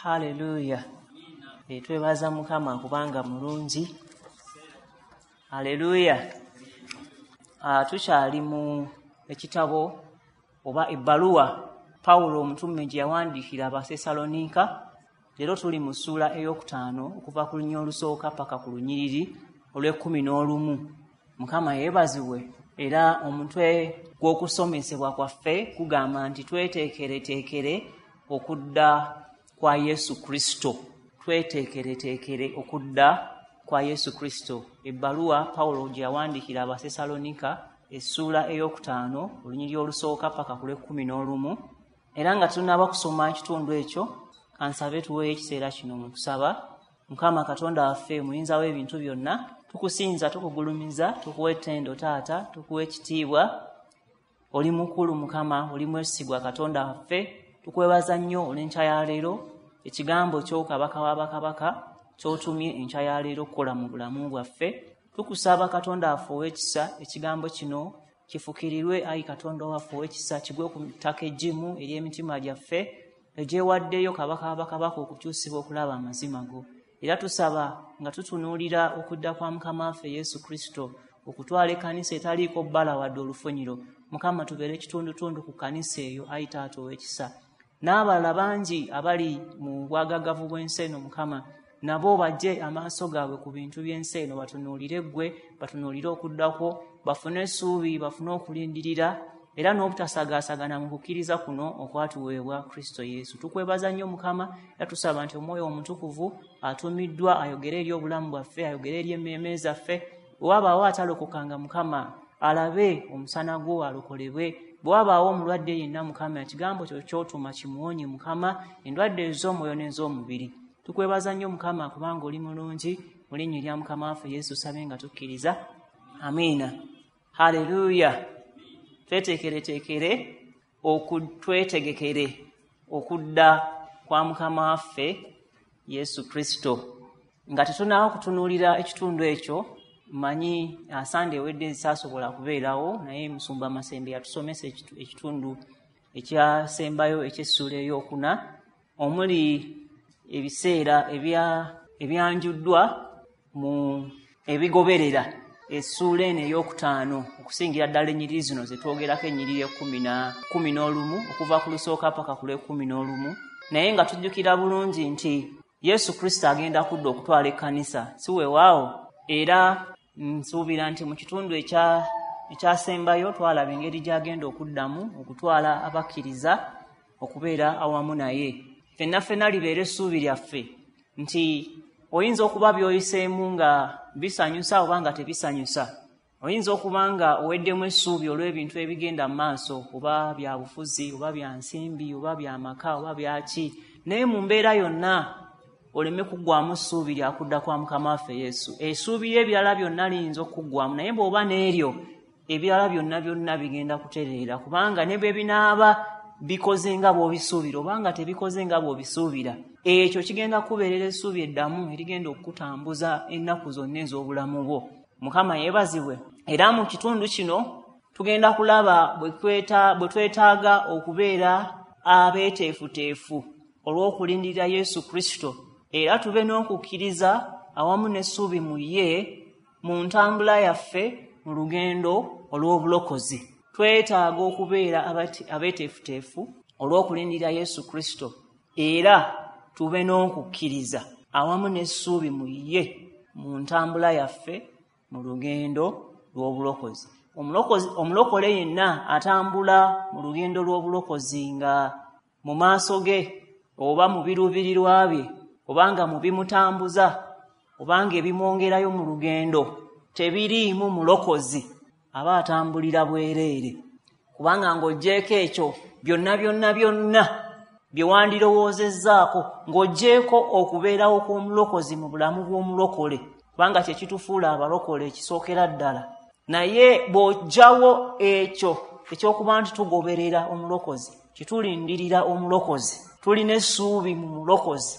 Haleluya. Twebaza Mukama kubanga mulungi. Haleluya. Tukyali mu ekitabo oba ebbaluwa Pawulo omutume gye yawandiikira Abasessaloniika. Leero tuli mu ssuula 5 okuva ku lunyiriri olusooka paka ku lunyiriri olw'11. Mukama yeebazibwe. Era omutwe gw'okusomesebwa kwaffe kugamba nti tweteekereteekere okudda kwa Yesu Kristo. Tweteekereteekere okudda kwa Yesu Kristo. Ebbaluwa Pawulo gye yawandiikira Abasessaloniika essuula 5 olunyiriri olusooka paka ku lw'11. Era nga tunaaba kusoma ekitundu ekyo, kansabe tuweeyo ekiseera kino mu kusaba. Mukama Katonda waffe muyinza w'ebintu byonna, tukusinza, tukugulumiza, tukuwa ettendo Taata, tukuwa ekitiibwa. Oli mukulu Mukama, oli mwesigwa Katonda waffe. Tukwebaza nnyo olw'enkya ya leero, ekigambo kyo Kabaka w'abakabaka ky'otumye enkya ya leero okukola mu bulamu bwaffe. Tukusaba Katonda waffe ow'ekisa, ekigambo kino kifukirirwe ayi Katonda waffe ow'ekisa, kigwe ku ttaka eggimu ery'emitima gyaffe egyewaddeyo Kabaka w'abakabaka okukyusibwa okulaba amazima go. Era tusaba nga tutunuulira okudda kwa Mukama waffe Yesu Kristo okutwala ekkanisa etaliiko bbala wadde olufunyiro. Mukama tubeere ekitundutundu ku kkanisa eyo ayi Taata ow'ekisa. N'abalala bangi abali mu bwagagavu bw'ensi eno Mukama, nabo bajje amaaso gaabwe ku bintu by'ensi eno, batunuulire ggwe, batunuulire okuddako, bafune essuubi, bafune okulindirira, era n'obutasagaasagana mu kukkiriza kuno okwatuweebwa Kristo Yesu. Tukwebaza nnyo Mukama, era tusaba nti Omwoyo Omutukuvu atumiddwa ayogere eri obulamu bwaffe, ayogere eri emmeeme zaffe. Bwe wabaawo atalokokanga Mukama, alabe omusana gwo alokolebwe. Bwe wabaawo omulwadde yenna Mukama, ekigambo kyo ky'otuma kimuwonye Mukama, endwadde ez'omwoyo n'ez'omubiri. Tukwebaza nnyo Mukama kubanga oli mulungi. Mu linnya erya Mukama waffe Yesu sabe nga tukkiriza. Amiina. Haleluya. Tweteekereteekere twetegekere okudda kwa Mukama waffe Yesu Kristo. Nga tetunaaba kutunuulira ekitundu ekyo, mmanyi Sande ewedde saasobola kubeerawo, naye Musumba Masembe yatusomesa ekitundu ekyasembayo eky'essuula 4 omuli ebiseera ebyanjuddwa mu ebigoberera essuula eno 5 okusingira ddala ennyiriri zino ze twogerako, ennyiriri 11 okuva ku lusooka paka ku lw'11. Naye nga tujjukira bulungi nti Yesu Kristo agenda kudda okutwala ekkanisa, si weewaawo? Era nsuubira nti mu kitundu ekyasembayo twalaba engeri gy'agenda okuddamu okutwala abakkiriza okubeera awamu naye. Ffenna ffenna libeere essuubi lyaffe nti oyinza okuba by'oyiseemu nga bisanyusa oba nga tebisanyusa. Oyinza okuba nga oweddemu essuubi olw'ebintu ebigenda mu maaso, oba bya bufuzi, oba bya nsimbi, oba bya maka, oba byaki. Naye mu mbeera yonna oleme kuggwamu ssuubi lya kudda kwa Mukama waffe Yesu. Essuubi ly'ebirala byonna liyinza okuggwamu, naye bw'oba n'eryo ebirala byonna byonna bigenda kutereera, kubanga ne bwe binaaba bikoze nga bw'obisuubira oba nga tebikoze nga bw'obisuubira, ekyo kigenda kubeerera essuubi eddamu erigenda okukutambuza ennaku zonna ez'obulamu bwo. Mukama yeebazibwe. Era mu kitundu kino tugenda kulaba bwe twetaaga okubeera abeeteefuteefu olw'okulindirira Yesu Kristo, era tube n'okukkiriza awamu n'essuubi mu ye mu ntambula yaffe mu lugendo olw'obulokozi. Twetaaga okubeera abeeteefuteefu olw'okulindirira Yesu Kristo, era tube n'okukkiriza awamu n'essuubi mu ye mu ntambula yaffe mu lugendo lw'obulokozi. Omulokole yenna atambula mu lugendo lw'obulokozi nga mu maaso ge oba mu biruubirirwa bye, obanga mu bimutambuza, obanga ebimwongerayo mu lugendo tebiriimu mulokozi, aba atambulira bwereere. Kubanga ng'oggyeeko ekyo byonna byonna byonna bye wandirowoozezzaako, ng'oggyeeko okubeerawo kw'omulokozi mu bulamu bw'omulokole, kubanga kye kitufuula abalokole ekisookera ddala. Naye bw'oggyawo ekyo ekyokuba nti tugoberera omulokozi, kitulindirira omulokozi, tulina essuubi mu mulokozi,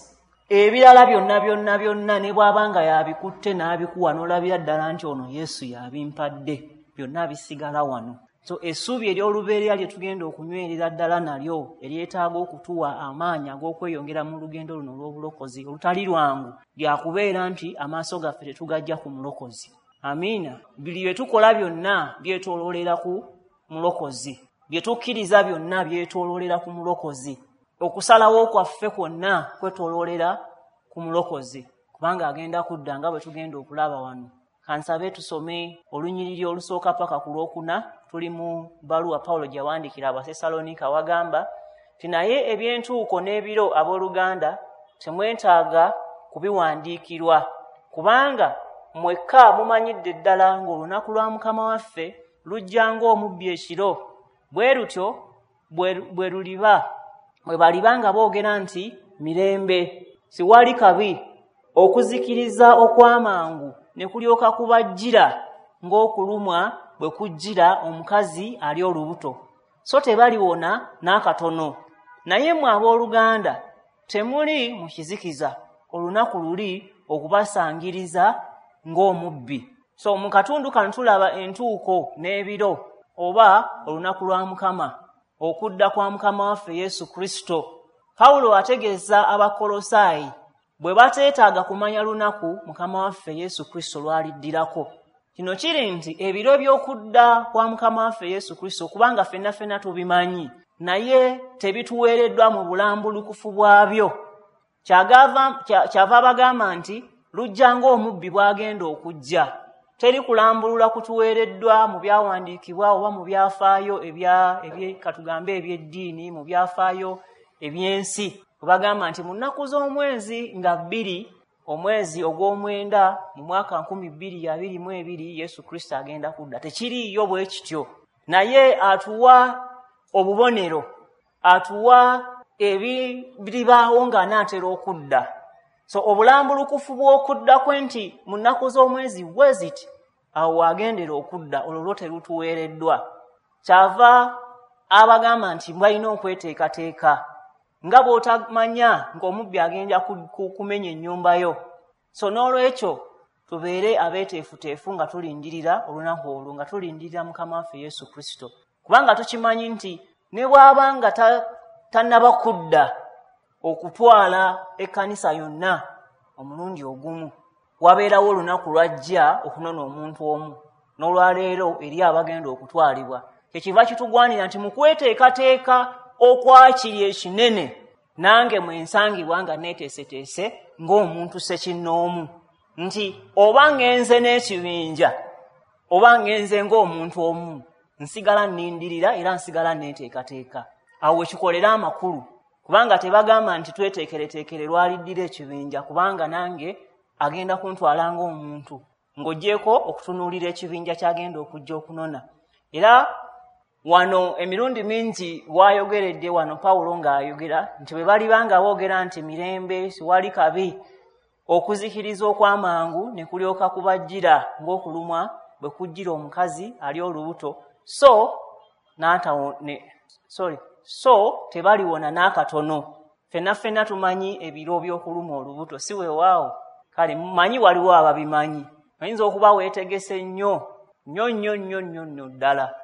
ebirala byonna byonna byonna ne bw'aba nga yabikutte n'abikuwa n'olabira ddala nti ono Yesu yabimpadde, byonna bisigala wano. So essuubi ery'olubeerera lye tugenda okunywerera ddala nalyo, eryetaaga okutuwa amaanyi ag'okweyongera mu lugendo luno olw'obulokozi olutali lwangu, lyakubeera nti amaaso gaffe tetugajja ku mulokozi. Amiina. Buli bye tukola byonna byetooloolera ku mulokozi, bye tukkiriza byonna byetooloolera ku mulokozi, okusalawo kwaffe kwonna kwetooloolera ku mulokozi, kubanga agenda kudda nga bwe tugenda okulaba wano. Kansabe tusome olunyiriri olusooka paka ku lwokuna. Tuli mu bbaluwa Pawulo gye yawandiikira Abasessaloniika, wagamba nti naye ebyentuuko n'ebiro, abooluganda, temwetaaga kubiwandiikirwa, kubanga mwekka mumanyidde ddala ng'olunaku lwa Mukama waffe lujja ng'omubbi ekiro. Bwe lutyo bwe luliba bwe baliba nga boogera nti mirembe, siwali kabi, okuzikiriza okw'amangu ne kulyoka kubajjira ng'okulumwa bwe kujjira omukazi ali olubuto, so tebaliwona n'akatono. Naye mmwe abooluganda temuli mu kizikiza, olunaku luli okubasangiriza ng'omubbi. So mu katundu kano tulaba entuuko n'ebiro oba olunaku lwa Mukama, okudda kwa Mukama waffe Yesu Kristo. Pawulo ategeeza Abakolosaayi bwe bateetaaga kumanya lunaku Mukama waffe Yesu Kristo lwaliddirako. Kino kiri nti ebiro by'okudda kwa Mukama waffe Yesu Kristo, kubanga ffenna ffenna tubimanyi, naye tebituweereddwa mu bulambulukufu bwabyo. Kyava abagamba nti lujja ng'omubbi bw'agenda okujja. Teri kulambulula kutuweereddwa mu byawandiikibwa oba mu byafaayo katugambe eby'eddiini, mu byafaayo eby'ensi. Bagamba nti mu nnaku z'omwezi nga 2, omwezi ogw'omwenda mu mwaka 2022 Yesu Kristo agenda kudda. Tekiriiyo bwe kityo, naye atuwa obubonero, atuwa ebiribaawo ng'anaatera okudda. So obulambulukufu bw'okudda kwe nti mu nnaku z'omwezi bwe ziti, awo wagendera okudda, olwo lwo terutuweereddwa. Kyava abagamba nti balina okweteekateeka, nga bw'otamanya ng'omubbi agenda kumenya ennyumba yo. So n'olwekyo tubeere abeeteefuteefu nga tulindirira olunaku olwo, nga tulindirira Mukama waffe Yesu Kristo, kubanga tukimanyi nti ne bw'aba nga tannaba kudda okutwala ekkanisa yonna omulundi ogumu, wabeerawo olunaku lwajja okunona omuntu omu. N'olwaleero eri abagenda okutwalibwa, kyekiva kitugwanira nti mu kweteekateeka okwakiri ekinene, nange mwensangibwa nga neeteeseteese ng'omuntu ssekinnoomu, nti oba ngenze n'ekibinja oba ngenze ng'omuntu omu, nsigala nnindirira era nsigala neeteekateeka. Awo wekikolera amakulu, kubanga tebagamba nti tweteekereteekere lwaliddira ekibinja, kubanga nange agenda kuntwala ng'omuntu, ng'oggyeko okutunuulira ekibinja ky'agenda okujja okunona. Era wano emirundi mingi wayogeredde wano Pawulo ng'ayogera nti bwe baliba nga boogera nti mirembe, siwali kabi, okuzikiriza okw'amangu ne kulyoka kubajjira ng'okulumwa bwe kujjira omukazi ali olubuto, so tebaliwona n'akatono. Ffenna ffenna tumanyi ebiro by'okulumwa olubuto, si weewaawo? Kale mmanyi waliwo ababimanyi. Oyinza okuba weetegese nnyo nnyo nnyo nnyo nnyo nnyo ddala,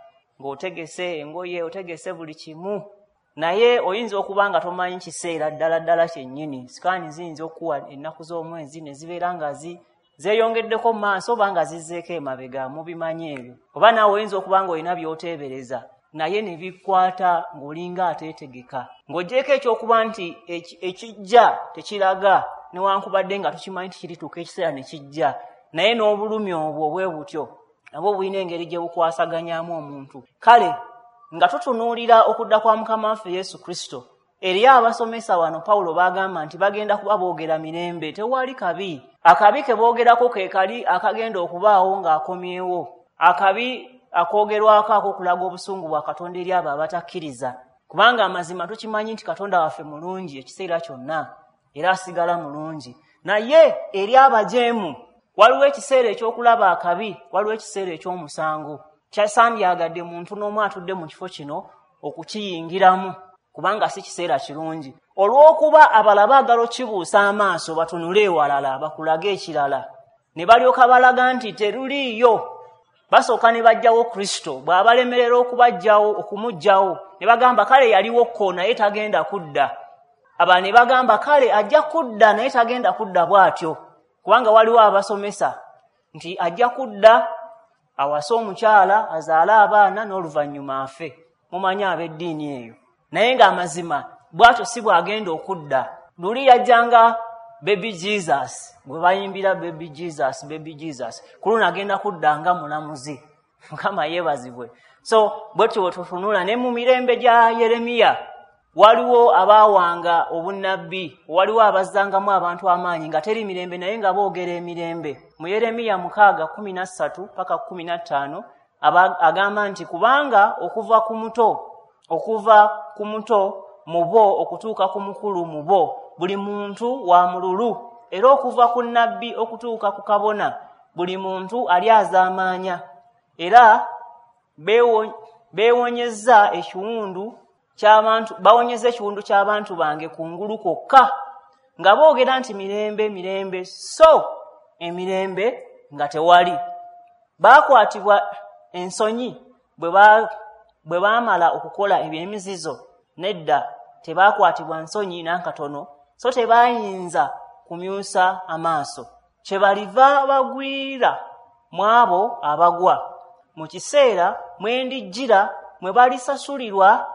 ng'otegese engoye, otegese buli kimu, naye oyinza okuba nga tomanyi kiseera ddala ddala kyennyini. Sikaani ziyinza okuwa ennaku z'omwezi ne zibeera nga zeeyongeddeko mu maaso oba nga zizzeeko emabega, mubimanyi ebyo. Oba naawe oyinza okuba nga olina by'oteebereza, naye ne bikwata ng'olinga ateetegeka, ng'oggyeko ekyokuba nti ekijja tekiraga, newankubadde nga tukimanyi nti kirituuka ekiseera ne kijja, naye n'obulumi obwo bwe butyo nabwo bulina engeri gye bukwasaganyaamu omuntu. Kale nga tutunuulira okudda kwa Mukama waffe Yesu Kristo, eri abasomesa wano Pawulo bagamba nti bagenda kuba boogera mirembe, tewali kabi. Akabi ke boogerako ke kali akagenda okubaawo ng'akomyewo, akabi akoogerwako ak'okulaga obusungu bwa Katonda eri abo abatakkiriza, kubanga amazima tukimanyi nti Katonda waffe mulungi ekiseera kyonna era asigala mulungi. Naye eri abajeemu waliwo ekiseera ekyokulaba akabi, waliwo ekiseera eky'omusango. Kyasandyagadde muntu n'omu atudde mu kifo kino okukiyingiramu, kubanga si kiseera kirungi. Olw'okuba abalala baagala okukibuusa amaaso batunule ewalala bakulage ekirala, ne balyoka balaga nti teruliiyo. Basooka ne bajjawo Kristo, bw'abalemerera okubajjawo okumuggyawo ne bagamba kale yaliwo ko naye tagenda kudda. Aba ne bagamba kale ajja kudda naye tagenda kudda bw'atyo, kubanga waliwo abasomesa nti ajja kudda awase omukyala azaale abaana n'oluvannyuma afe. Mumanyi ab'eddiini eyo. Naye ng'amazima bw'atyo si bw'agenda okudda. Luli yajjanga Baby Jesus, gwe bayimbira Baby Jesus, Baby Jesus. Ku luno agenda kudda nga mulamuzi. Mukama yeebazibwe. So bwetyo bwe tutunula ne mu mirembe gya Yeremiya waliwo abaawanga obunnabbi, waliwo abazzangamu abantu amaanyi nga teri mirembe naye nga boogera emirembe. Mu Yeremiya 6:13 paka 15 agamba nti kubanga okuva ku muto mu bo okutuuka ku mukulu mu bo buli muntu wa mululu, era okuva ku nnabbi okutuuka ku kabona buli muntu alyazaamaanya, era beewonyeza ekiwundu ky'abantu, bawonyeza ekiwundu ky'abantu bange kungulu kwokka, nga boogera nti mirembe mirembe, so emirembe nga tewali. Baakwatibwa ensonyi bwe baamala okukola eby'emizizo? Nedda, tebaakwatibwa nsonyi n'akatono, so tebayinza kumyusa amaaso. Kyebaliva bagwira mu abo abagwa mu kiseera mwe ndijjira mwe balisasulirwa,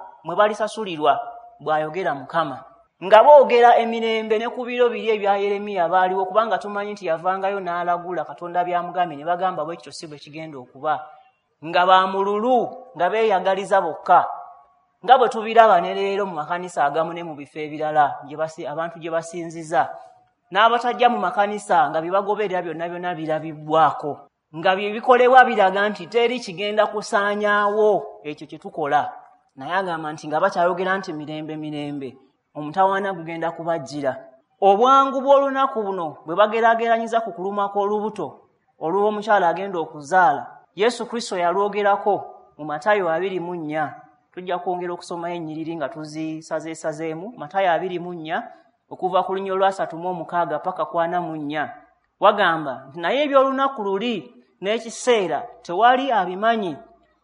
bw'ayogera Mukama. Nga boogera emirembe ne ku biro biri ebya Yeremiya baaliwo, kubanga tumanyi nti yavangayo n'alagula Katonda by'amugambye, ne bagamba bwe kityo si bwe kigenda okuba. Nga bamululu, nga beeyagaliza bokka, nga bwe tubiraba ne leero mu makanisa agamu ne mu bifo ebirala abantu gye basinziza, n'abatajja mu makanisa nga bibagoberera byonna byonna birabibwako, nga bye bikolebwa biraga nti teri kigenda kusaanyaawo ekyo kye tukola. Naye agamba nti nga bakyayogera nti mirembe mirembe, omutawaana gugenda kubajjira. Obwangu bw'olunaku buno bwe bageraageranyiza ku kulumwa kw'olubuto olw'omukyala agenda okuzaala, Yesu Kristo yalwogerako mu Matayo 24. Tujja kwongera okusomayo ennyiriri nga tuzisazeesazeemu. Matayo 24 okuva ku lunyiriri lwa 36 paka ku 44 wagamba nti naye eby'olunaku luli n'ekiseera tewali abimanyi,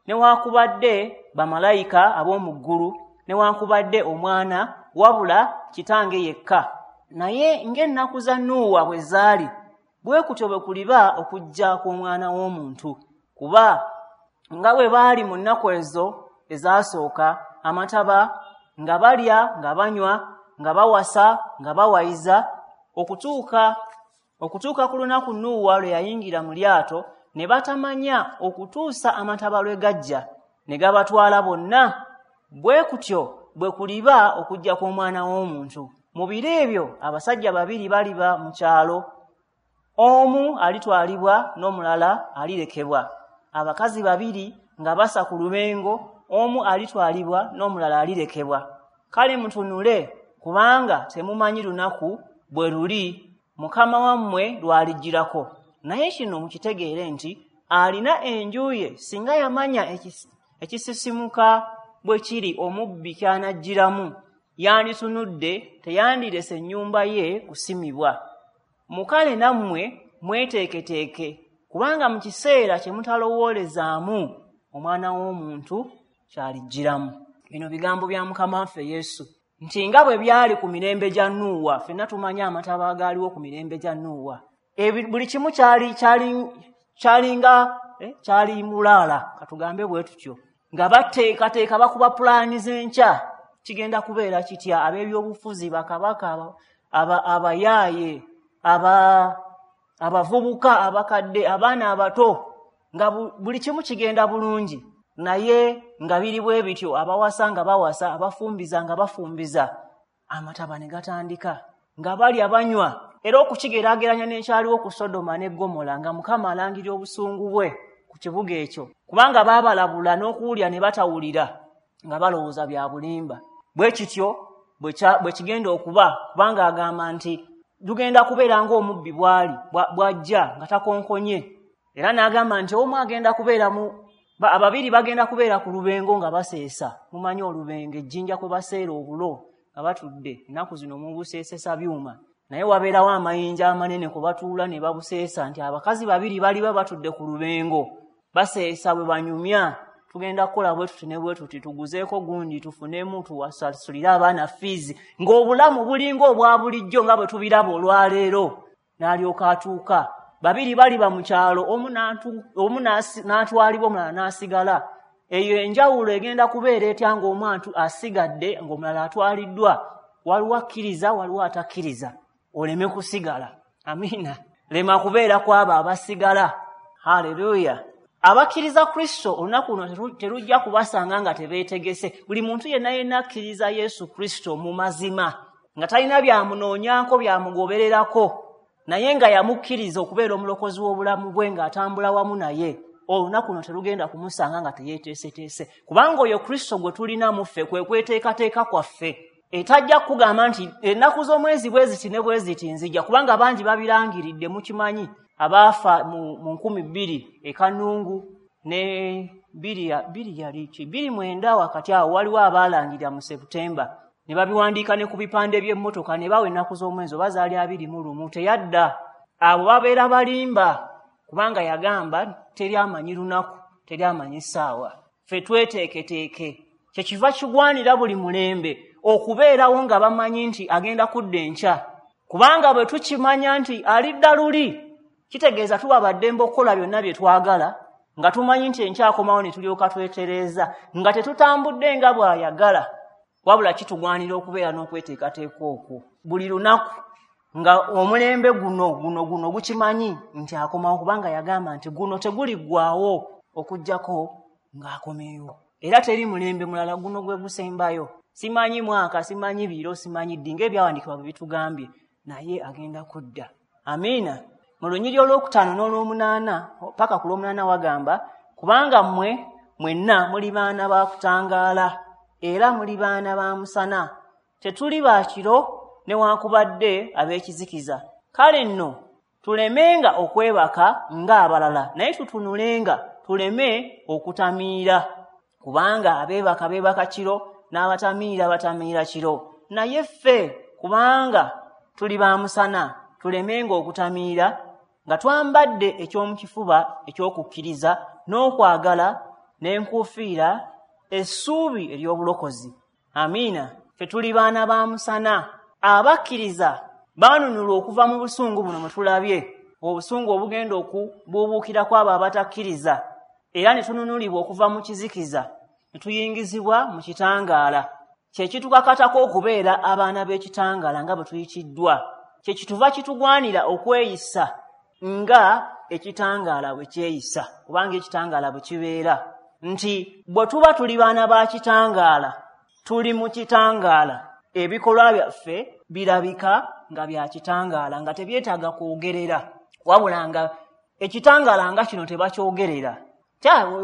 newaakubadde bamalayika ab'omu ggulu, newaakubadde omwana, wabula kitange yekka. Naye ng'ennaku za Nuuwa bwe zaali, bwe kutyo bwe kuliba okujja kw'omwana w'omuntu. Kuba nga bwe baali mu nnaku ezo ezasooka amataba, nga balya nga banywa, nga bawasa nga bawayiza, okutuuka ku lunaku Nuuwa lwe yayingira mu lyato, ne batamanya okutuusa amataba lwe gajja ne gabatwala bonna. Bwe kutyo bwe kuliba okujja kw'omwana w'omuntu. Mu biro ebyo abasajja babiri baliba mu kyalo, omu alitwalibwa n'omulala alirekebwa. Abakazi babiri nga basa ku lubengo, omu alitwalibwa n'omulala alirekebwa. Kale mutunule, kubanga temumanyi lunaku bwe luli Mukama wammwe lw'alijjirako. Naye kino mukitegeere nti alina enju ye singa yamanya ekisisimuka bwe kiri omubbi ky'anajjiramu, yanditunudde teyandirese ennyumba ye kusimibwa. Mukale nammwe mweteeketeeke, kubanga mu kiseera kye mutalowoolezaamu omwana w'omuntu kyalijjiramu. Bino bigambo bya Mukama waffe Yesu nti nga bwe byali ku mirembe gya Nuuwa, ffenna tumanyi amataba agaaliwo ku mirembe gya Nuuwa. Buli kimu kyali mulaala, katugambe bwe tutyo, nga bateekateeka bakuba pulaani z'enkya kigenda kubeera kitya. Ab'ebyobufuzi, bakabaka, abayaaye, abavubuka, abakadde, abaana abato, nga buli kimu kigenda bulungi. Naye nga biri bwe bityo, abawasa nga bawasa, abafumbiza nga bafumbiza, amataba ne gatandika, nga balya banywa. Era okukigeraageranya n'ekyaliwo ku Sodoma ne Ggomola, nga Mukama alangirira obusungu bwe ku kibuga ekyo, kubanga baabalabula n'okuwulira ne batawulira, nga balowooza bya bulimba. Bwe kityo bwe kigenda okuba, kubanga agamba nti lugenda kubeera ng'omubbi bw'ali bw'ajja nga takonkonye. Era n'agamba nti omu agenda kubeera mu ababiri bagenda kubeera ku lubengo nga baseesa. Mumanyi olubengo, ejjinja kwe baseera obulo nga batudde, ennaku zino mubuseesesa byuma, naye wabeerawo amayinja amanene kwe batuula ne babuseesa, nti abakazi babiri baliba batudde ku lubengo, Baseesa bwe banyumya, tugenda kukola bwe tuti ne bwe tuti, tuguzeeko gundi tufunemu tuwasasulire abaana fiizi, ng'obulamu bulinga obwa bulijjo nga bwe tubiraba olwaleero. N'alyoka atuuka, babiri baliba mu kyalo, omu n'atwalibwa omulala n'asigala. Eyo enjawulo egenda kubeera etya ng'omuntu asigadde ng'omulala atwaliddwa? Waliwo akkiriza, waliwo atakkiriza. Oleme kusigala. Amiina. Lema kubeera kw'abo abasigala. Haleluya. Abakkiriza Kristo olunaku luno terujja kubasanga nga tebeetegese. Buli muntu yenna yenna akkiriza Yesu Kristo mu mazima, nga talina byamunoonyaako byamugobererako, naye nga yamukkiriza okubeera omulokozi w'obulamu bwe ng'atambula wamu naye, olunaku luno terugenda kumusanga nga teyeeteeseteese. Kubanga oyo Kristo gwe tulina mu ffe kwe kweteekateeka kwaffe. Etajja kugamba nti ennaku z'omwezi bwe ziti ne bwe ziti nzija, kubanga bangi babirangiridde, mukimanyi abaafa mu 2000 e Kanungu ne 2009 wakati awo waliwo abaalangirira mu Septemba ne babiwandiika ne ku bipande by'emmotoka ne bawa ennaku z'omwezi oba zaali 21, teyadda. Abo babeera balimba, kubanga yagamba teri amanyi lunaku, teri amanyi ssaawa. Ffe tweteeketeeke. Kyekiva kigwanira buli mulembe okubeerawo nga bamanyi nti agenda kudda enkya, kubanga bwe tukimanya nti alidda luli, kitegeeza tuba baddembe okukola byonna bye twagala, nga tumanyi nti enkya akomawo ne tulyoka twetereeza, nga tetutambudde nga bw'ayagala. Wabula kitugwanira okubeera n'okweteekateeka okwo buli lunaku, nga omulembe guno guno guno gukimanyi nti akomawo, kubanga yagamba nti guno teguliggwaawo okuggyako ng'akomyewo. Era teri mulembe mulala, guno gwe gusembayo. Simanyi mwaka, simanyi biro, simanyi ddi, ng'ebyawandiikibwa bwe bitugambye, naye agenda kudda. Amiina. Mu lunyiriri olwokutaano n'olwomunaana paka ku lwomunaana wagamba, kubanga mmwe mwenna muli baana ba kutangaala era muli baana ba musana, tetuli ba kiro newankubadde ab'ekizikiza. Kale nno tulemenga okwebaka ng'abalala, naye tutunulenga tuleme okutamiira, kubanga abeebaka beebaka kiro n'abatamiira batamiira kiro. Naye ffe kubanga tuli ba musana, tulemenga okutamiira nga twambadde ekyomukifuba eky'okukkiriza n'okwagala n'enkuufiira essuubi ery'obulokozi. Amiina. Ffe tuli baana ba musana. Abakkiriza baanunulwa okuva mu busungu buno mwe tulabye, obusungu obugenda okubuubuukira kw'abo abatakkiriza, era ne tununulibwa okuva mu kizikiza ne tuyingizibwa mu kitangaala. Kye kitukakatako okubeera abaana b'ekitangaala nga bwe tuyitiddwa. Kye kituva kitugwanira okweyisa nga ekitangaala bwe kyeyisa, kubanga ekitangaala bwe kibeera. Nti bwe tuba tuli baana ba kitangaala, tuli mu kitangaala, ebikolwa byaffe birabika nga bya kitangaala, nga tebyetaaga kwogerera, wabula nga ekitangaala nga kino tebakyogerera.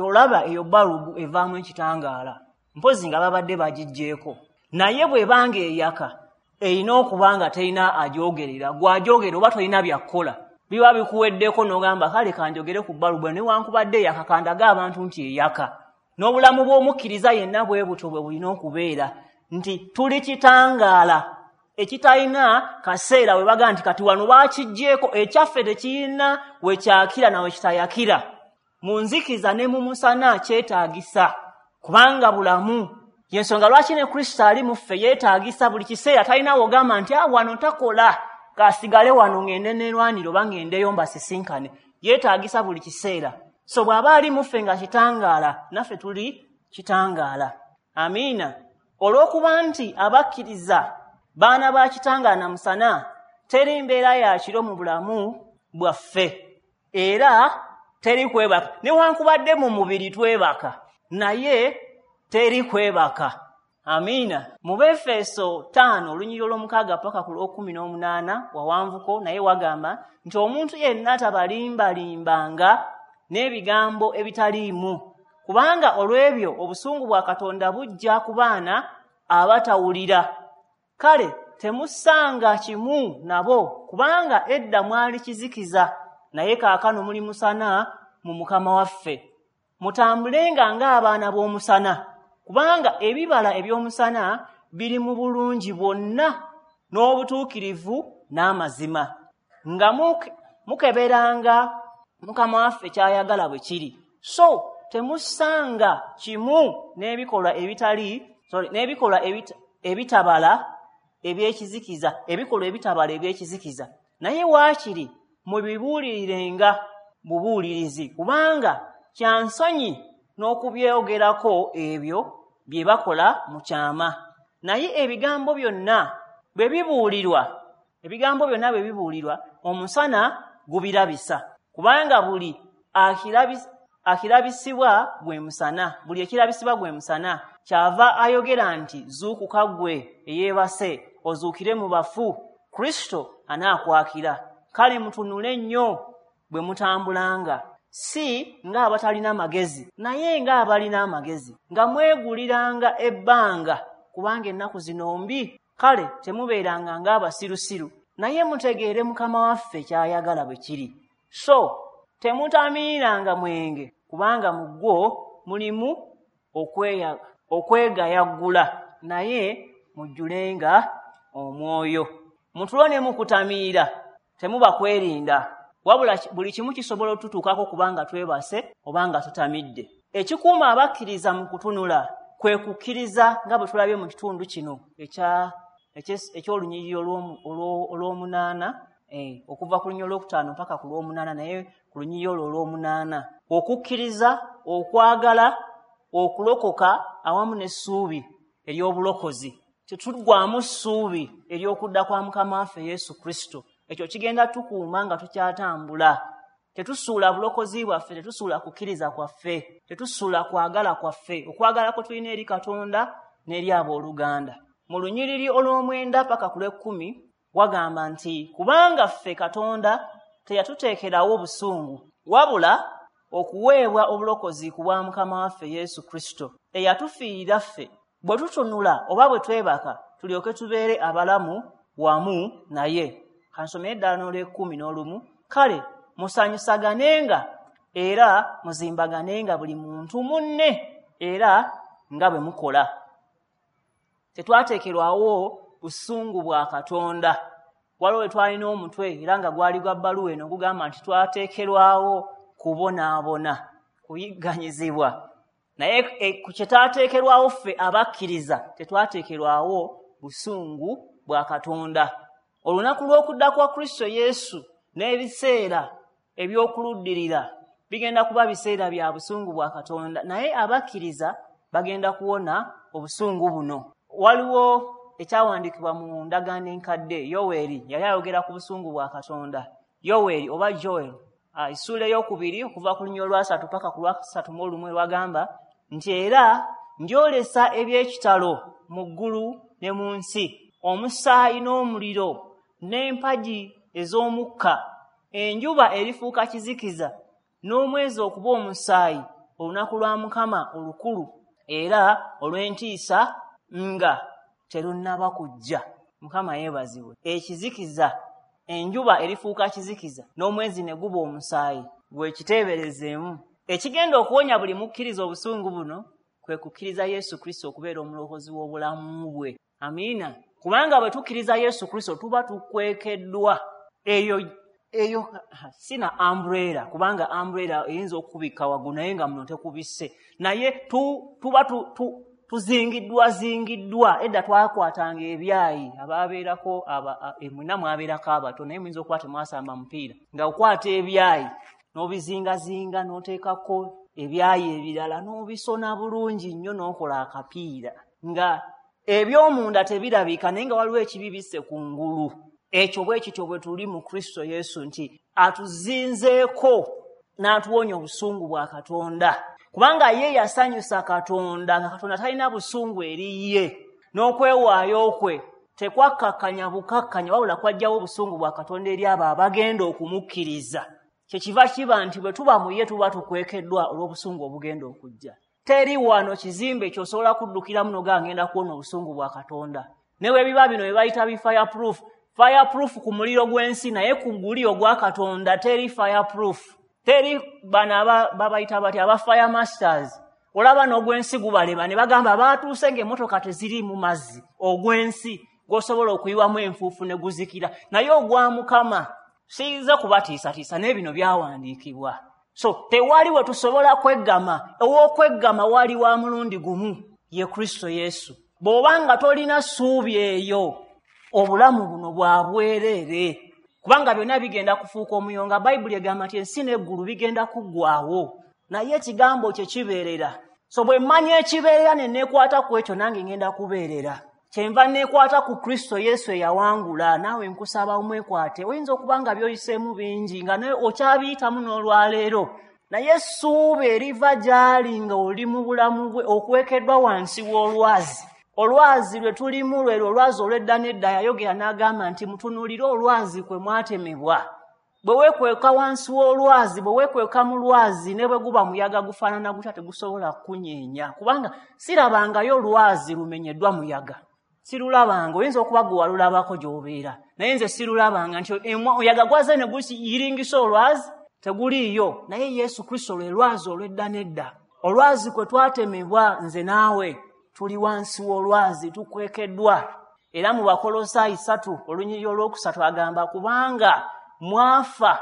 Olaba eyo balubu evaamu ekitangaala, mpozi nga babadde bagiggyeeko. Naye bw'ebanga eyaka, erina okuba nga terina agyogerera. Gw'agyogera oba tolina byakukola, biba bikuweddeko n'ogamba kale kanjogere ku balubu, newankubadde eyaka kandaga abantu nti eyaka. N'obulamu bw'omukkiriza yenna bwe butyo bwe bulina okubeera, nti tuli kitangaala ekitalina kaseera we baga nti kati wano bakiggyeeko, ekyaffe tekirina we kyakira na we kitayakira. Mu nzikiza ne mu musana kyetaagisa, kubanga bulamu. Y'ensonga lwaki ne Kristo ali mu ffe yeetaagisa buli kiseera. Talina w'ogamba nti wano takola, kasigale wano ngende neerwanire oba ngendeyo mbasisinkane. Yeetaagisa buli kiseera. So bw'aba ali mu ffe nga kitangaala, naffe tuli kitangaala. Amiina. Olw'okuba nti abakkiriza baana ba kitangaala na musana, teri mbeera ya kiro mu bulamu bwaffe, era teri kwebaka. Newankubadde mu mubiri twebaka, naye teri kwebaka. Amiina. Mu Befeso 5 olunyiriri olw'omukaaga paka ku lw'okuminaomunaana wawanvuko, naye wagamba nti omuntu yenna tabalimba-limbanga n'ebigambo ebitaliimu, kubanga olw'ebyo obusungu bwa Katonda bujja ku baana abatawulira. Kale temussanga kimu nabo, kubanga edda mwali kizikiza, naye kaakano muli musana mu Mukama waffe. Mutambulenga ng'abaana b'omusana, kubanga ebibala eby'omusana biri mu bulungi bwonna n'obutuukirivu n'amazima, nga mukeberanga Mukama waffe ky'ayagala bwe kiri. So temusanga kimu n'ebikolwa n'ebikolwa ebitabala ebyekizikiza, ebikolwa ebitabala ebyekizikiza, naye waakiri mubibuulirirenga bubuulirizi, kubanga kya nsonyi n'okubyogerako ebyo bye bakola mu kyama. Naye ebigambo byonna bwe bibuulirwa, omusana gubirabisa, kubanga buli akirabisibwa gwe musana, buli ekirabisibwa gwe musana. Kyava ayogera nti zuukuka ggwe eyeebase, ozuukire mu bafu, Kristo anaakwakira. Kale mutunule nnyo bwe mutambulanga, si ng'abatalina magezi, naye ng'abalina amagezi, nga mweguliranga ebbanga, kubanga ennaku zino mbi. Kale temubeeranga ng'abasirusiru, naye mutegeere Mukama waffe ky'ayagala bwe kiri. So temutamiiranga mwenge, kubanga mu gwo mulimu okwegayaggula, naye mujjulenga omwoyo. Mutulo ne mukutamiira temuba kwerinda, wabula buli kimu kisobola otutuukako kubanga twebase obanga tutamidde. Ekikuuma abakkiriza mu kutunula kwe kukkiriza, nga bwe tulabye mu kitundu kino eky'olunyiriri olw'omunaana, okuva ku lunyiriri olwokutaano mpaka ku lw'omunaana, naye ku lunyiriri olwo olw'omunaana, okukkiriza, okwagala, okulokoka awamu n'essuubi ery'obulokozi. Tetuggwaamu ssuubi ery'okudda kwa Mukama waffe Yesu Kristo. Ekyo kigenda tukuuma nga tukyatambula. Tetusuula bulokozi bwaffe, tetusuula kukkiriza kwaffe, tetusuula kwagala kwaffe, okwagala kwe tulina eri Katonda n'eri abooluganda. Mu lunyiriri olw'omwenda paka ku lw'ekkumi wagamba nti kubanga ffe Katonda teyatuteekerawo busungu, wabula okuweebwa obulokozi ku bwa Mukama waffe Yesu Kristo, eyatufiirira ffe, bwe tutunula oba bwe twebaka, tulyoke tubeere abalamu wamu naye. Kansomere ddala n'olw'ekkumi n'olumu. Kale musanyusaganenga era muzimbaganenga buli muntu munne, era nga bwe mukola. Tetwateekerwawo busungu bwa Katonda. Waliwo we twalina omutwe era nga gwali gwa bbaluwa eno gugamba nti twateekerwawo kubonaabona, kuyigganyizibwa. Naye ku kye twateekerwawo ffe abakkiriza, tetwateekerwawo busungu bwa Katonda. Olunaku lw'okudda kwa Kristo Yesu n'ebiseera eby'okuluddirira bigenda kuba biseera bya busungu bwa Katonda, naye abakkiriza bagenda kuwona obusungu buno. Waliwo ekyawandiikibwa mu ndagaano enkadde, Yoweeri yali ayogera ku busungu bwa Katonda. Yoweeri oba Joel, essuula ey'okubiri okuva ku lunyiriri olwasatu paka ku lwasatu mu olumu, lwagamba nti era ndyolesa eby'ekitalo mu ggulu ne mu nsi, omusaayi n'omuliro n'empagi ez'omukka. Enjuba erifuuka kizikiza n'omwezi okuba omusaayi, olunaku lwa Mukama olukulu era olw'entiisa nga terunnaba kujja. Mukama yeebazibwe. Ekizikiza, enjuba erifuuka kizikiza n'omwezi ne guba omusaayi, gwe kiteeberezeemu. Ekigenda okuwonya buli mukkiriza obusungu buno kwe kukkiriza Yesu Kristo okubeera omulokozi w'obulamu bwe. Amiina. Kubanga bwe tukkiriza Yesu Kristo tuba tukwekeddwa. Eyo sina umbrella, kubanga umbrella eyinza okukubikka waggulu naye nga muno tekubisse, naye tuba tuzingiddwa zingiddwa. Edda twakwatanga ebyayi, ababeerako mwenna mwabeerako abato, naye muyinza okuba temwasamba mupiira, nga okwata ebyayi n'obizingazinga n'oteekako ebyayi ebirala n'obisona bulungi nnyo n'okola akapiira, nga eby'omunda tebirabika, naye nga waliwo ekibibisse ku ngulu. Ekyo bwe kityo bwe tuli mu Kristo Yesu, nti atuzinzeeko n'atuwonya obusungu bwa Katonda, kubanga ye yasanyusa Katonda, nga Katonda talina busungu eri ye, n'okwewaayo kwe tekwakkakkanya bukakkanya, wabula kwajjawo obusungu bwa Katonda eri abo abagenda okumukkiriza. Kyekiva kiba nti bwe tuba mu ye tuba tukwekeddwa olw'obusungu obugenda okujja. Teri wano kizimbe ky'osobola kuddukiramu n'ogamba ngenda kuwona obusungu bwa Katonda. Ne bwe biba bino bye bayita bi fireproof, fireproof ku muliro gw'ensi, naye ku guli ogwa Katonda teri fireproof. Teri bano babayita batya aba fire masters, olaba n'ogw'ensi gubalema ne bagamba baatuuse ng'emmotoka teziri mu mazzi. Ogw'ensi gw'osobola okuyiwamu enfuufu ne guzikira, naye ogwa Mukama siyinza kubatiisatiisa, naye bino byawandiikibwa. So tewali we tusobola kweggama. Ow'okweggama wali wa mulundi gumu, ye Kristo Yesu. Bw'obanga tolina ssuubi eyo, obulamu buno bwa bwereere, kubanga byonna bigenda kufuuka omuyonga. Bayibuli egamba nti ensi n'eggulu bigenda kuggwaawo, naye ekigambo kye kibeerera. So bwe mmanya ekibeerera ne neekwata ku ekyo, nange ngenda kubeerera. Kyenva neekwata ku Kristo Yesu eyawangula. Naawe nkusaba omwekwate. Oyinza okuba nga by'oyiseemu bingi, nga naye okyabiyitamu n'olwaleero, naye essuubi eriva gy'ali nga oli mu bulamu bwe okwekeddwa wansi w'olwazi. Olwazi lwe tulimu lwe olwazi olw'edda n'edda. Yayogera n'agamba nti mutunuulire olwazi kwe mwatemebwa. Bwe weekweka wansi w'olwazi, bwe weekweka mu lwazi, ne bwe guba muyaga gufaanana gutya tegusobola kukunyeenya, kubanga sirabangayo lwazi lumenyeddwa muyaga. Sirulabanga. Oyinza okuba gwe walulabako gy'obeera, naye nze sirulabanga nti omuyaga gwaze ne guyiringisa olwazi, teguliiyo. Naye Yesu Kristo lwe lwazi olw'edda n'edda, olwazi kwe twatemebwa. Nze naawe tuli wansi w'olwazi, tukwekeddwa. Era mu Bakolosaayi 3 olunyiriri olwokusatu agamba, kubanga mwafa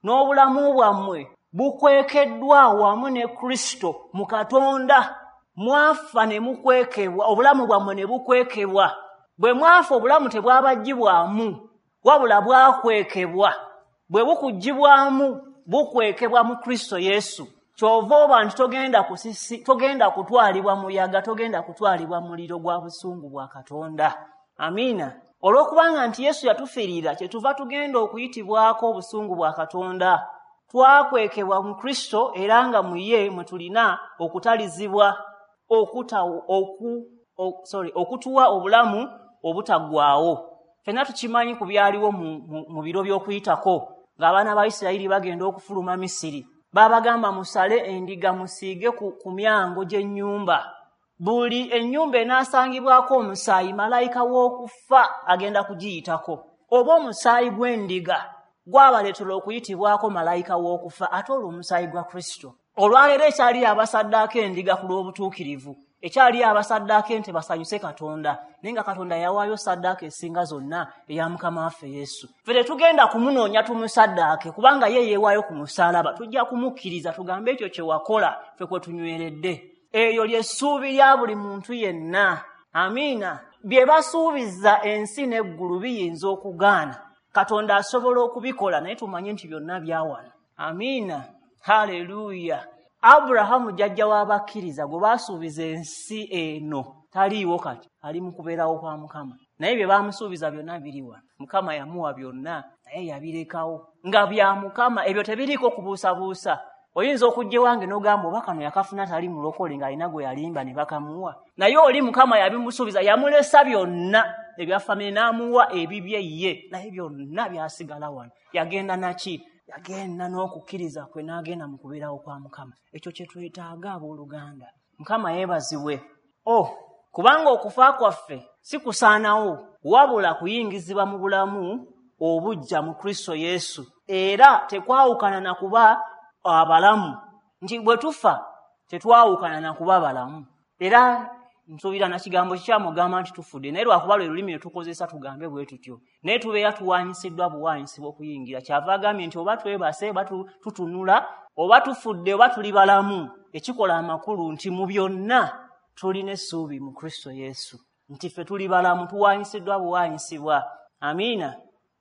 n'obulamu bwammwe bukwekeddwa wamu ne Kristo mu Katonda. Mwafa ne mukwekebwa, obulamu bwammwe ne bukwekebwa. Bwe mwafa obulamu tebwabaggyibwamu, wabula bwakwekebwa. Bwe bukuggyibwamu bukwekebwa mu Kristo Yesu. Ky'ova oba nti togenda kutwalibwa muyaga, togenda kutwalibwa muliro gwa busungu bwa Katonda. Amiina. Olw'okubanga nti Yesu yatufiirira, kyetuva tugenda okuyitibwako obusungu bwa Katonda. Twakwekebwa mu Kristo, era nga mu ye mwe tulina okutalizibwa okutuwa obulamu obutaggwaawo. Ffenna tukimanyi ku byaliwo mu biro by'okuyitako, ng'abaana ba Isirayiri bagenda okufuluma Misiri. Baabagamba musale endiga musiige ku myango gy'ennyumba. Buli ennyumba enaasangibwako omusaayi, malayika w'okufa agenda kugiyitako. Oba omusaayi gw'endiga gwabaleetera okuyitibwako malayika w'okufa, ate olwo omusaayi gwa Kristo. Olwaleero ekyali abasaddaako endiga ku lw'obutuukirivu, ekyali abasaddaako ente basanyuse Katonda, naye nga Katonda yawaayo saddaaka esinga zonna eya Mukama waffe Yesu. Ffe tetugenda kumunoonya tumusaddaake, kubanga ye yeewaayo ku musaalaba. Tujja kumukkiriza tugambe ekyo kye wakola ffe kwe tunyweredde. Eryo ly'essuubi lya buli muntu yenna. Amiina. Bye basuubiza ensi n'eggulu biyinza okugaana, Katonda asobola okubikola, naye tumanye nti byonna byawana. Amiina. Haleluya. Aburahamu jjajja w'abakkiriza gwe baasuubiza ensi eno taliiwo kati, ali mu kubeerawo kwa Mukama. Naye bye baamusuubiza byonna biri wano. Mukama yamuwa byonna, naye yabirekawo nga bya Mukama. Ebyo tebiriiko kubuusabuusa. Oyinza okujja ewange n'ogamba oba kano yakafuna tali mulokole ng'alina gwe yalimba ne bakamuwa, naye oli Mukama yabimusuubiza, yamulesa byonna ebya famire n'amuwa ebibye ye, naye byonna byasigala wano. Yagenda naki? Yagenda n'okukkiriza kwe n'agenda mu kubeerawo kwa Mukama. Ekyo kye twetaaga abooluganda. Mukama yeebazibwe. Kubanga okufa kwaffe si kusaanawo, wabula kuyingizibwa mu bulamu obujja mu Kristo Yesu, era tekwawukana na kuba abalamu. Nti bwe tufa tetwawukana na kuba balamu. Era nsuubira na kigambo kikyamugamba nti tufudde, naye lwakuba lwe lulimi lwe tukozesa tugambe bwe tutyo, naye tubeera tuwanyisiddwa buwanyisibwa okuyingira. Kyava agambye nti oba twebase, oba tutunula, oba tufudde, oba tuli balamu, ekikola amakulu nti mu byonna tulina essuubi mu Kristo Yesu, nti ffe tuli balamu, tuwanyisiddwa buwanyisibwa. Amiina.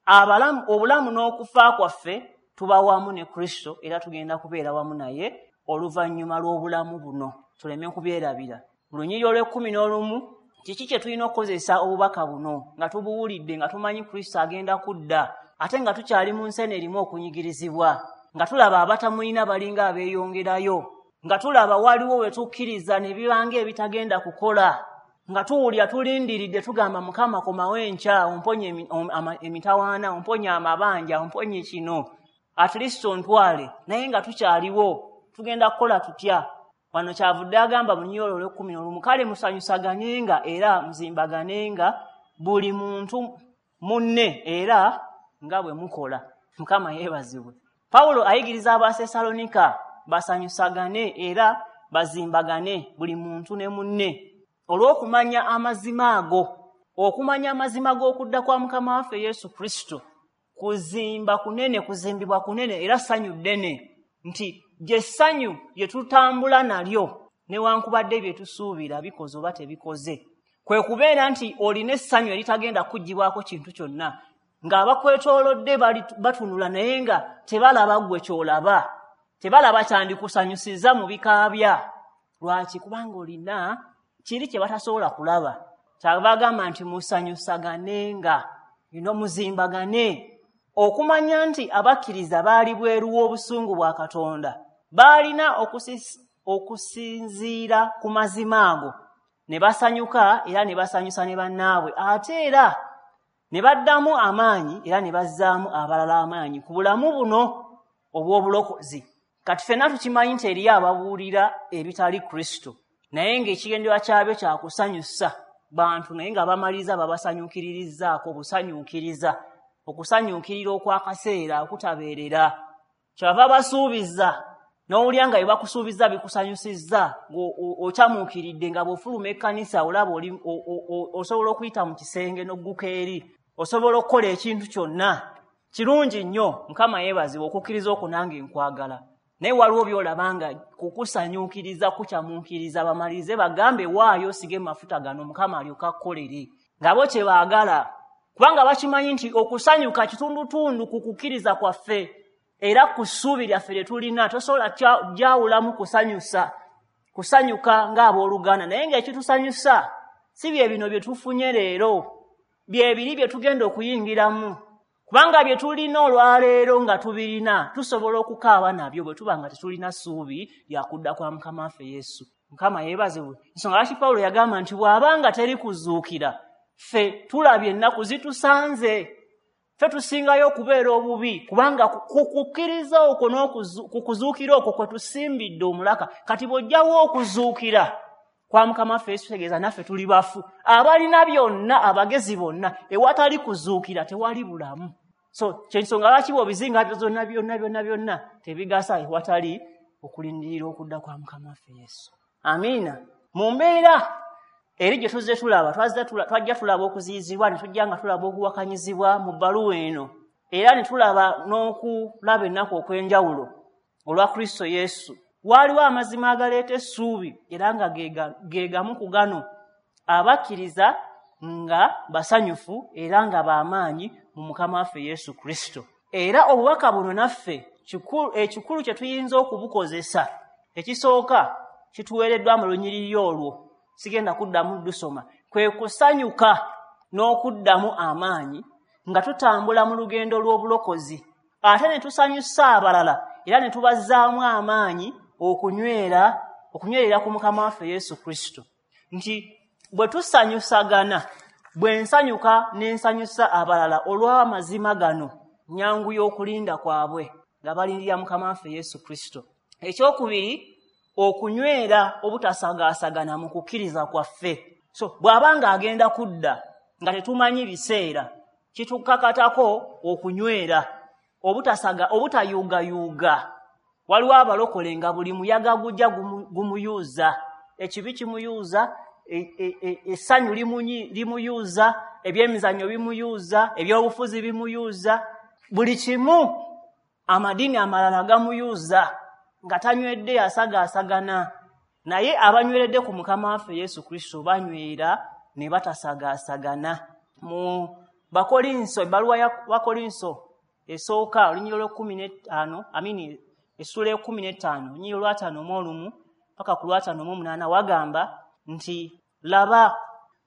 Abalamu, obulamu n'okufa kwaffe tuba wamu ne Kristo, era tugenda kubeera wamu naye oluvannyuma lw'obulamu buno. Tuleme kubyerabira. Mu lunyiriri olw'ekkumi n'olumu, kiki kye tulina okukozesa obubaka buno nga tubuwulidde, nga tumanyi Kristo agenda kudda, ate nga tukyali mu nsi eno erimu okunyigirizibwa, nga tulaba abatamulina balinga abeeyongerayo, nga tulaba waliwo we tukkiriza ne bibanga ebitagenda kukola, nga tuwulira tulindiridde tugamba Mukama komawo enkya, omponye emitawaana, omponye amabanja, omponye kino, at least ontwale, naye nga tukyaliwo tugenda kukola tutya? Wano kyavudde agamba mu lunyiriri olw'ekkumi n'olumu, kale musanyusaganenga era muzimbaganenga buli muntu munne era nga bwe mukola. Mukama yeebazibwe. Pawulo ayigiriza Abasesalonika basanyusagane era bazimbagane buli muntu ne munne, olw'okumanya amazima ago, okumanya amazima g'okudda kwa Mukama waffe Yesu Kristo. Kuzimba kunene, kuzimbibwa kunene, era ssanyu ddene nti Gy'essanyu lye tutambula nalyo newankubadde bye tusuubira bikoze oba tebikoze. Kwe kubeera nti olina essanyu eritagenda kuggyibwako kintu kyonna, ng'abakwetoolodde batunula naye nga tebalaba ggwe ky'olaba, tebalaba kyandikusanyusizza mu bikaabya. Lwaki? Kubanga olina kiri kye batasobola kulaba. Kyabagamba nti musanyusaganenga, ino muzimbagane. Okumanya nti abakkiriza baali bweru w'obusungu bwa Katonda, baalina okusinziira ku mazima ago ne basanyuka era ne basanyusa ne bannaabwe, ate era ne baddamu amaanyi era ne bazzaamu abalala amaanyi ku bulamu buno obw'obulokozi. Kati ffenna tukimanyi nti eriyo ababuulira ebitali Kristo, naye ng'ekigendererwa kyabyo kya kusanyusa bantu, naye nga bamaliriza babasanyuukiririzzaako busanyuukiriza, okusanyuukirira okw'akaseera okutabeerera. Kyava basuubiza n'owulira nga bye bakusuubiza bikusanyusizza, okyamuukiridde nga bw'ofuluma ekkanisa olaba osobola okuyita mu kisenge n'ogguka eri, osobola okukola ekintu kyonna. Kirungi nnyo, Mukama yeebazibwe, okukkiriza okwo nange nkwagala. Naye waliwo by'olaba nga kukusanyuukiriza kukyamuukiriza, bamalirize bagambe waayo osige mafuta gano Mukama alyoke akkolere, nga bo kye baagala, kubanga bakimanyi nti okusanyuka kitundutundu ku kukkiriza kwaffe era ku ssuubi lyaffe lye tulina. Tosobola gyawulamu kusanyusa kusanyuka ng'abooluganda, naye ng'ekitusanyusa si bye bino bye tufunye leero, bye biri bye tugenda okuyingiramu, kubanga bye tulina olwaleero nga tubirina tusobola okukaaba nabyo bwe tuba nga tetulina ssuubi lya kudda kwa Mukama waffe Yesu. Mukama yeebazibwe. Ensonga lwaki Pawulo yagamba nti bw'abanga teri kuzuukira, ffe tulabye ennaku zitusanze, ffe tusingayo okubeera obubi, kubanga ku kukkiriza okwo ku kuzuukira okwo kwe tusimbidde omulaka. Kati bw'ojjawo okuzuukira kwa Mukama waffe Yesu, kitegeeza naffe tuli bafu. Abalina byonna, abagezi bonna, ewatali kuzuukira tewali bulamu. So kyensonga lwaki bw'obizinga byonna byonna byonna byonna tebigasa ewatali okulindirira okudda kwa Mukama waffe Yesu. Amiina. Mu mbeera eri gye tuzze tulaba, twajja tulaba okuziyizibwa, ne tujja nga tulaba okuwakanyizibwa mu bbaluwa eno, era ne tulaba n'okulaba ennaku okw'enjawulo olwa Kristo Yesu. Waaliwo amazima agaleeta essuubi era nga ge gamu ku gano: abakkiriza nga basanyufu era nga b'amaanyi mu Mukama waffe Yesu Kristo. Era obubaka buno naffe ekikulu kye tuyinza okubukozesa, ekisooka kituweereddwa mu lunyiriri olwo, sigenda kuddamu ddusoma, kwe kusanyuka n'okuddamu amaanyi nga tutambula mu lugendo lw'obulokozi, ate ne tusanyusa abalala era ne tubazzaamu amaanyi okunywerera ku Mukama waffe Yesu Kristo. Nti bwe tusanyusagana, bwe nsanyuka ne nsanyusa abalala olw'amazima gano, nyanguya okulinda kwabwe nga balindirira Mukama waffe Yesu Kristo. Ekyokubiri, okunywera obutasagaasagana mu kukkiriza kwaffe. So bw'aba ng'agenda kudda nga tetumanyi biseera, kitukakatako okunywera obutayuugayuuga. Waliwo abalokole nga buli muyaga gujja gumuyuuza, ekibi kimuyuuza, essanyu limuyuuza, ebyemizannyo bimuyuuza, ebyobufuzi bimuyuuza, buli kimu amadiini amalala gamuyuuza, nga tanywedde asagaasagana. Naye abanyweredde ku Mukama waffe Yesu Kristo banywera ne batasagaasagana. Mu Bakolinso, ebbaluwa ya Bakolinso esooka olunyiriri olw'e15, amini essula e15, olunyiriri olw'51 paka ku lw'58, wagamba nti laba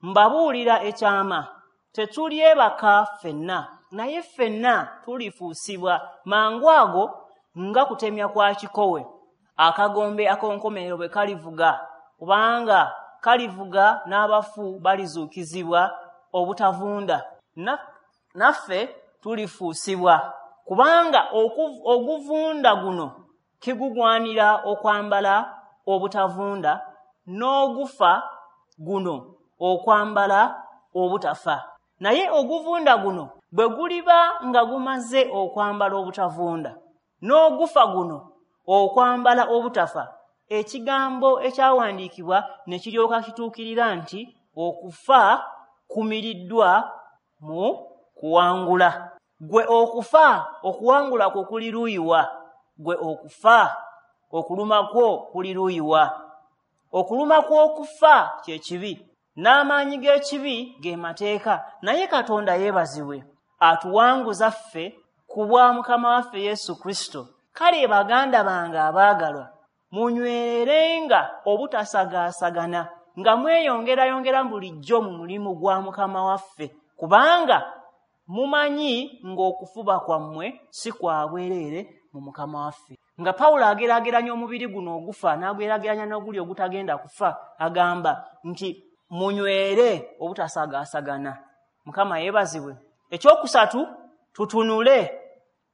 mbabuulira ekyama, tetulyebaka ffenna, naye ffenna tulifuusibwa mangu ago nga kutemya kwa kikowe, akagombe ak'enkomerero bwe kalivuga, kubanga kalivuga n'abafu balizuukizibwa obutavunda, naffe tulifuusibwa, kubanga oguvunda guno kigugwanira okwambala obutavunda, n'ogufa guno okwambala obutafa. Naye oguvunda guno bwe guliba nga gumaze okwambala obutavunda, n'ogufa guno okwambala obutafa, ekigambo ekyawandiikibwa ne kiryoka kituukirira nti okufa kumiriddwa mu kuwangula. Gwe okufa okuwangula kwo kuli luyiwa? Gwe okufa Okuluma kwo kuli luuyi wa? Okuluma kw'okufa kye kibi, n'amaanyi g'ekibi ge mateeka. Naye Katonda yeebazibwe, atuwanguza ffe ku bwa Mukama waffe Yesu Kristo. Kale baganda bange abaagalwa, munywererenga obutasagaasagana, nga mweyongerayongera bulijjo mu mulimu gwa Mukama waffe, kubanga mumanyi ng'okufuba kwammwe si kwa bwereere mu Mukama waffe. Nga Pawulo ageraageranya omubiri guno ogufa n'ageraageranya n'oguli ogutagenda kufa, agamba nti munywere obutasagaasagana. Mukama yeebazibwe. Ekyokusatu, tutunule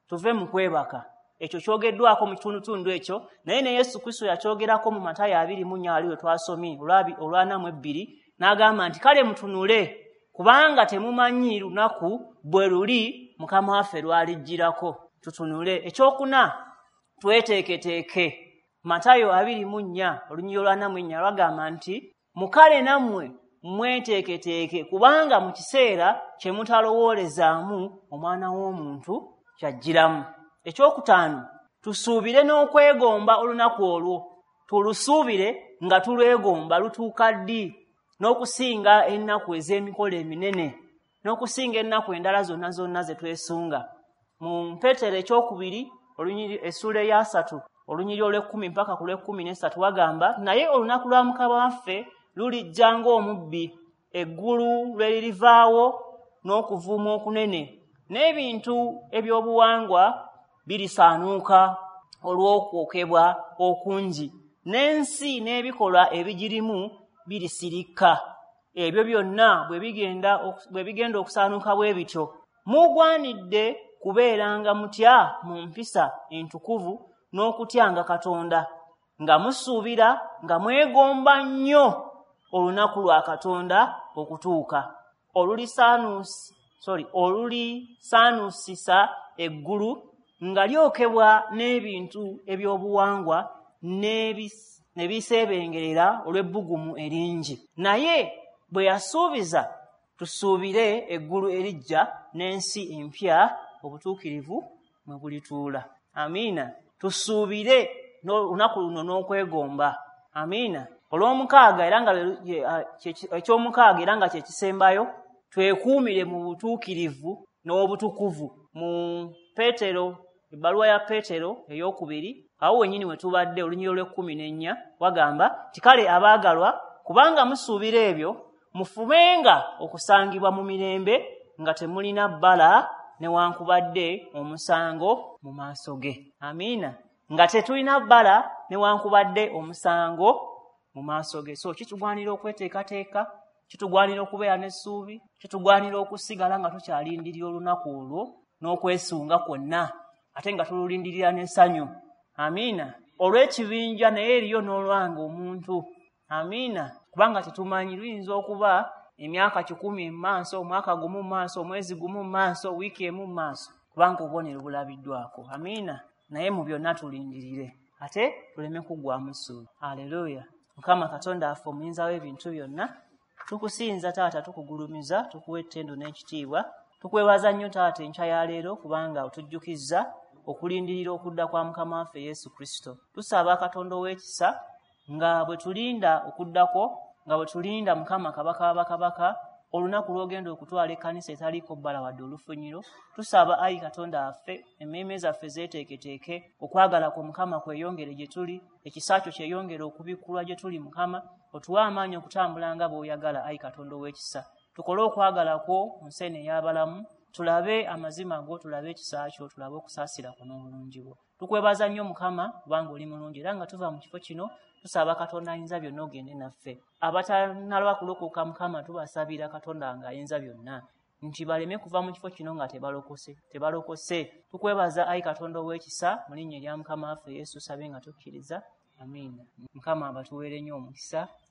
tuve mu kwebaka. Ekyo kyogeddwako mu kitundutundu ekyo, naye ne Yesu Kristo yakyogerako mu Matayo 24 ali we twasomye olw'42, n'agamba nti kale mutunule, kubanga temumanyi lunaku bwe luli Mukama waffe lw'alijjirako. Tutunule. Ekyokuna, tweteeketeeke. Matayo 24 olunyiriri olw'44 lwagamba nti mukale nammwe mweteeketeeke, kubanga mu kiseera kye mutalowoolezaamu Omwana w'Omuntu kyajjiramu. Ekyokutaano, tusuubire n'okwegomba olunaku olwo. Tulusuubire nga tulwegomba. Lutuuka ddi? N'okusinga ennaku ez'emikolo eminene, n'okusinga ennaku endala zonna zonna ze twesunga. Mu Peetero ekyokubiri essuula eya 3 olunyiriri olw'ekkumi mpaka ku lw'ekkumi n'esatu wagamba, naye olunaku lwa Mukama waffe lulijja ng'omubbi, eggulu lwe lirivaawo n'okuvuuma okunene, n'ebintu ebyobuwangwa birisaanuuka olw'okwokebwa okungi, n'ensi n'ebikolwa ebigirimu birisirikka. Ebyo byonna bwe bigenda okusaanuuka bwe bityo, mugwanidde kubeeranga mutya mu mpisa entukuvu n'okutyanga Katonda, nga musuubira nga mwegomba nnyo olunaku lwa Katonda okutuuka, olulisaanuusisa eggulu nga lyokebwa n'ebintu ebyobuwangwa ne biseebengerera olw'ebbugumu eringi. Naye bwe yasuubiza, tusuubire eggulu eriggya n'ensi empya obutuukirivu mwe bulituula. Amiina. Tusuubire olunaku luno n'okwegomba. Amiina. Olw'omukaaga era nga ekyomukaaga era nga kye kisembayo, twekuumire mu butuukirivu n'obutukuvu. Mu Peetero, ebbaluwa ya Peetero ey'okubiri, awo wennyini we tubadde, olunyiriri olw'ekkumi n'ennya wagamba nti kale abaagalwa, kubanga musuubira ebyo, mufubenga okusangibwa mu mirembe nga temulina bbala newankubadde omusango mu maaso ge. Amiina. Nga tetulina bbala newankubadde omusango mu maaso ge. So kitugwanira okweteekateeka, kitugwanira okubeera n'essuubi, kitugwanira okusigala nga tukyalindirira olunaku olwo n'okwesunga kwonna, ate nga tululindirira n'essanyu. Amiina. Olw'ekibinja naye eriyo n'olwange omuntu. Amiina. Kubanga tetumanyi, luyinza okuba emyaka 100 mu maaso, omwaka gumu mu maaso, omwezi gumu mu maaso, wiiki emu mu maaso, kubanga obubonero bulabiddwako. Amiina. Naye mu byonna tulindirire, ate tuleme kuggwaamu ssuubi. Aleluya. Mukama Katonda affe omuyinza w'ebintu byonna, tukusinza taata, tukugulumiza, tukuwa ettendo n'ekitiibwa. Tukwebaza nnyo taata enkya ya leero, kubanga otujjukizza okulindirira okudda kwa Mukama waffe Yesu Kristo. Tusaba Katonda ow'ekisa, nga bwe tulinda okuddako, nga bwe tulinda Mukama Kabaka w'abakabaka, olunaku lw'ogenda okutwala ekkanisa etaliiko bbala wadde olufunyiro, tusaba ayi Katonda waffe, emmeeme zaffe zeeteeketeeke, okwagala kwo Mukama kweyongere gye tuli, ekisa kyo kyeyongere okubikkulwa gye tuli. Mukama, otuwe amaanyi okutambula nga bw'oyagala. Ayi Katonda ow'ekisa, tukole okwagala kwo mu nsi eno ey'abalamu, tulabe amazima go, tulabe ekisa kyo, tulabe okusaasira kwo n'obulungi bwo. Tukwebaza nnyo Mukama, kubanga oli mulungi. Era nga tuva mu kifo kino, tusaba Katonda ayinza byonna ogende naffe. Abatanalwa kulokoka, Mukama, tubasabira Katonda nga ayinza byonna nti baleme kuva mu kifo kino nga tebalokose. Tukwebaza ayi Katonda ow'ekisa, mu linnya erya Mukama waffe Yesu sabe nga tukkiriza. Amiina. Mukama abatuweere nnyo omukisa.